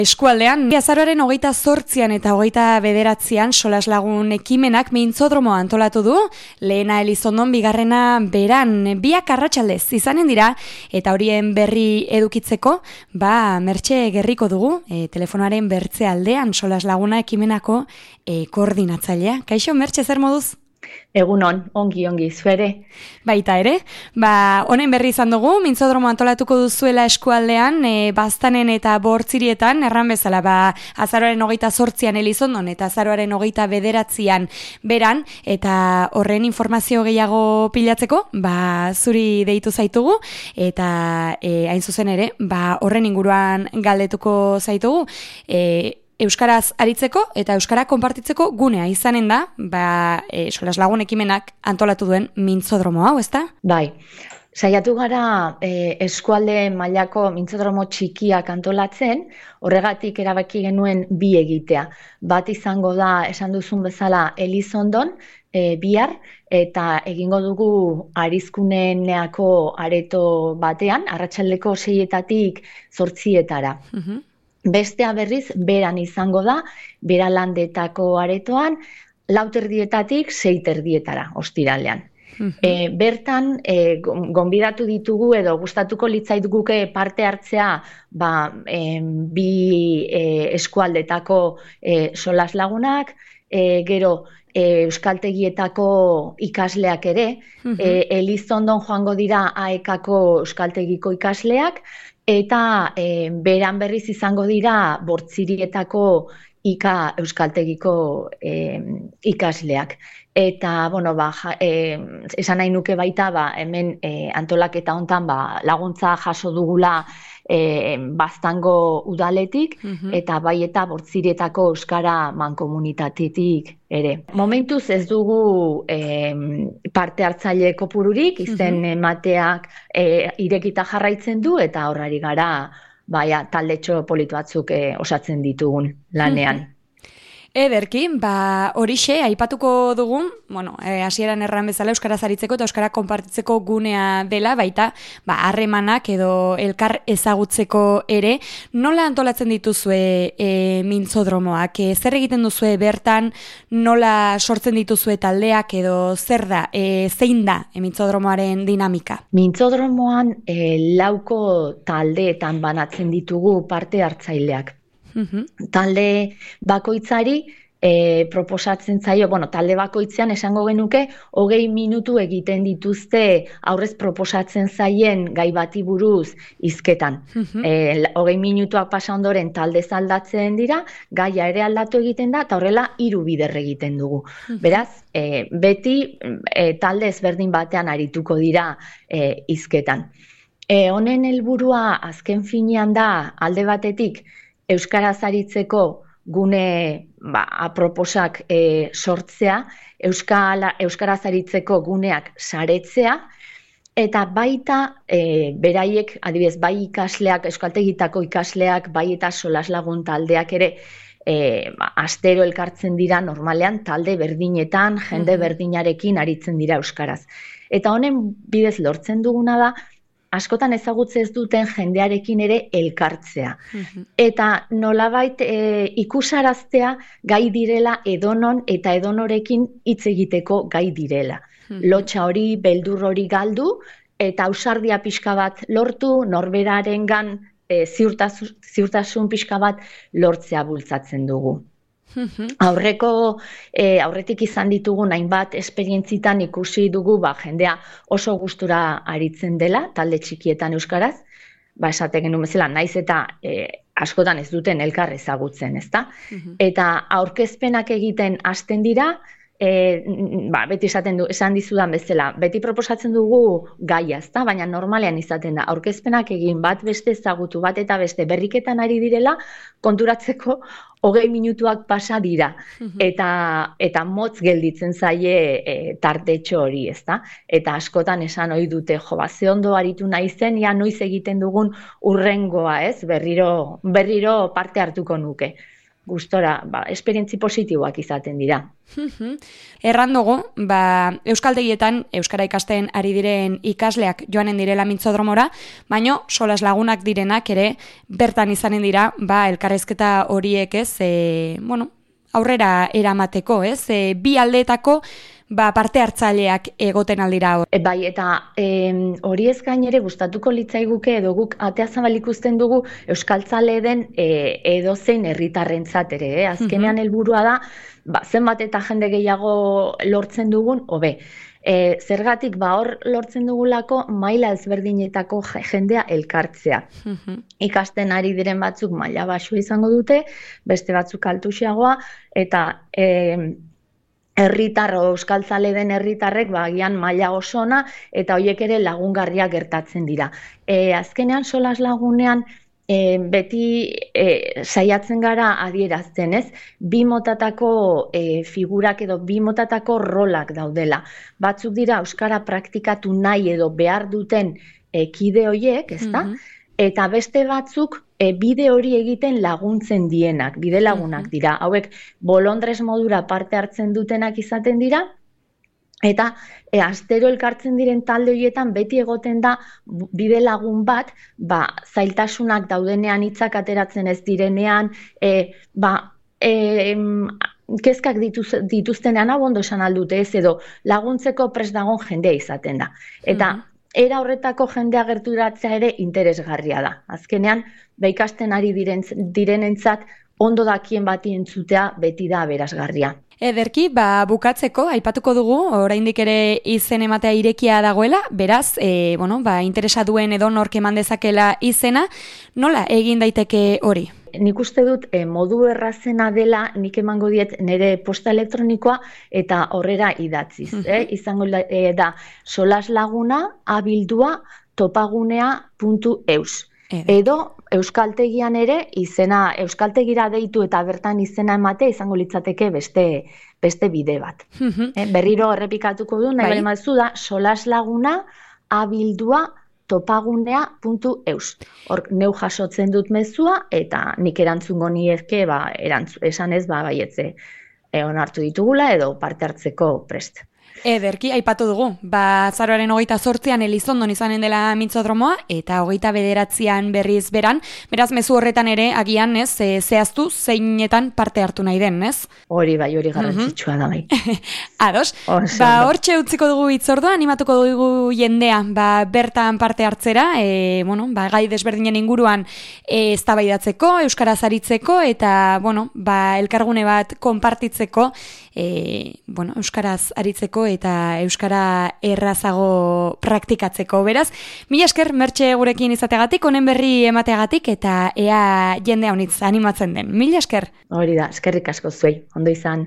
Eskualdean, azaroaren 28an eta 29an solaslagun ekimenak mintzodromoa antolatu du, lehena Elizondon, bigarrena Beran, biak arratsaldez izanen dira, eta horien berri edukitzeko, Mertxe Gerriko dugu, telefonoaren bertze aldean solaslaguna ekimenako koordinatzailea. Kaixo, Mertxe, zer moduz? Egunon, ongi, zuere. Baita ere, honen berri izan dugu, mintzodromo antolatuko duzuela eskualdean, Baztanen eta Bortzirietan, erran bezala, azaroaren 28an Elizondon eta azaroaren 29an Beran, eta horren informazio gehiago pilatzeko, zuri deitu zaitugu, eta hain zuzen ere, horren inguruan galdetuko zaitugu, euskaraz aritzeko eta euskara konpartitzeko gunea izanen da, solaslagun ekimenak antolatu duen mintzodromo hau, ezta? Bai, saiatu gara eskualde mailako mintzodromo txikiak antolatzen, horregatik erabaki genuen bi egitea. Bat izango da, esan duzun bezala, Elizondon, bihar, eta egingo dugu Arizkuneneako areto batean, arratsaldeko 6etatik 8etara. Bestea berriz, Beran izango da, Beralandetako aretoan, 4:30 6:30 ostiralean. Bertan, gonbidatu ditugu edo gustatuko litzaiguke parte hartzea bi eskualdetako solaslagunak, gero euskaltegietako ikasleak ere, Elizondon joango dira AEKako euskaltegiko ikasleak, eta Beran berriz izango dira Bortzirietako euskaltegiko ikasleak. Eta, esan nahi nuke baita, hemen antolaketa hontan laguntza jaso dugula Baztango udaletik, eta bai eta Bortzirietako euskara mankomunitatetik ere. Momentuz ez dugu parte hartzaile kopururik, izen emateak irekita jarraitzen du, eta horrari gara taldetxo politu batzuk osatzen ditugun lanean. Ederki, horixe, aipatuko dugun, hasieran erran bezala euskaraz aritzeko eta euskara konpartitzeko gunea dela, baita, harremanak edo elkar ezagutzeko ere, nola antolatzen dituzue mintzodromoak? Zer egiten duzue bertan, nola sortzen dituzue taldeak edo zer da, zein da mintzodromoaren dinamika? Mintzodromoan 4 taldeetan banatzen ditugu parte hartzaileak. Talde bakoitzari proposatzen zaio, talde bakoitzean esango genuke 20 minutu egiten dituzte aurrez proposatzen zaien gai bati buruz hizketan. 20 minutuak pasa ondoren talde aldatzen dira, gaia ere aldatu egiten da, eta horrela 3 bider egiten dugu. Beraz, beti talde ezberdin batean arituko dira hizketan. Honen helburua azken finean da alde batetik euskaraz aritzeko gune aproposak sortzea, euskaraz aritzeko guneak saretzea, eta baita beraiek, adibidez, bai ikasleak, euskaltegitako ikasleak, bai eta solaslagun taldeak ere, astero elkartzen dira normalean talde berdinetan, jende berdinarekin aritzen dira euskaraz. Eta honen bidez lortzen duguna da, askotan ezagutze ez duten jendearekin ere elkartzea. Eta nolabait ikusaraztea gai direla edonon eta edonorekin hitz egiteko gai direla. Lotxa hori, beldur hori galdu, eta ausardia pixka bat lortu, norberarengan ziurtasun pixka bat lortzea bultzatzen dugu. Aurretik izan ditugun hainbat esperientzitan ikusi dugu jendea oso gustura aritzen dela, talde txikietan euskaraz, esate genuen bezala, naiz eta askotan ez duten elkar ezagutzen, ezta? Eta aurkezpenak egiten hasten dira, beti esan dizudan bezala, beti proposatzen dugu gaia, ezta? Baina normalean izaten da, aurkezpenak egin bat beste ezagutu, bat eta beste berriketan ari direla, konturatzeko 20 minutuak pasa dira, eta motz gelditzen zaie tartetxo hori, ezta? Eta askotan esan ohi dute, ze ondo aritu naizen, noiz egiten dugun urrengoa, ez? Berriro parte hartuko nuke. gustora, esperientzi positiboak izaten dira. Erran dugu, euskaltegietan euskara ikasten ari diren ikasleak joanen direla Mintzodromora, baino solas lagunak direnak ere bertan izanen dira, elkarrezketa horiek aurrera eramateko, bi aldeetako parte hartzaileak egoten aldira hor. Bai, eta hori ez gain ere gustatuko litzaiguke edo guk atea zabal ikusten dugu euskaltzale den edozein herritarrentzat ere. Azkenean helburua da, zenbat eta jende gehiago lortzen dugun, hobe. Zergatik hor lortzen dugulako maila ezberdinetako jendea elkartzea. Ikasten ari diren batzuk maila baxua izango dute, beste batzuk altuxeagoa, eta herritar o euskaltzale den herritarrek agian maila oso ona eta horiek ere lagungarria gertatzen dira. Azkenean solas lagunean beti saiatzen gara adierazten, ez? Bi motatako figurak edo bi motatako rolak daudela. Batzuk dira euskara praktikatu nahi edo behar duten kide horiek, ezta? Eta beste batzuk bide hori egiten laguntzen dienak, bide lagunak dira. Hauek bolondres modura parte hartzen dutenak izaten dira, eta astero elkartzen diren talde horietan beti egoten da bide lagun bat, zailtasunak daudenean, hitzak ateratzen ez direnean, kezkak dituztenean ondo esan aldute ez, edo laguntzeko prest dagon jendea izaten da. Eta era horretako jendea gerturatzea ere interesgarria da. Azkenean, ikasten ari direnentzat ondo dakien bati entzutea beti da aberasgarria. Ederki, bukatzeko, aipatuko dugu, oraindik ere izen ematea irekia dagoela, beraz, interesa duen edo nork eman dezakela izena, nola egin daiteke hori? Nik uste dut modu errazena dela nik emango diet nire posta elektronikoa eta horrera idatziz. Izango da solaslaguna@topagunea.eus. Edo euskaltegian ere izena euskaltegira deitu eta bertan izena emate izango litzateke beste bide bat. Berriro errepikatuko du, nahi bali mazu da solaslagunea@topagunea.eus. Hor neu jasotzen dut mezua eta nik erantzungo niezke esan ez baietze onartu ditugula edo parte hartzeko prest. Ederki, aipatu dugu. Azaroaren 28an Elizondon izanen dela Mintzodromoa eta 29an berriz beran. Beraz, mezu horretan ere agian, zehaztu zeinetan parte hartu nahi den, ez? Hori garrantzitsua da bai. Ados. Hortxe utziko dugu hitzordua, animatuko dugu jendea, bertan parte hartzera, gai desberdinen inguruan eztabaidatzeko, euskaraz aritzeko eta, elkargune bat konpartitzeko, euskaraz aritzeko eta euskara errazago praktikatzeko. Beraz, mila esker Mertxe gurekin izateagatik, honen berri emateagatik eta ea jende honitz animatzen den. Mila esker. Hori da, eskerrik asko zuei, ondo izan.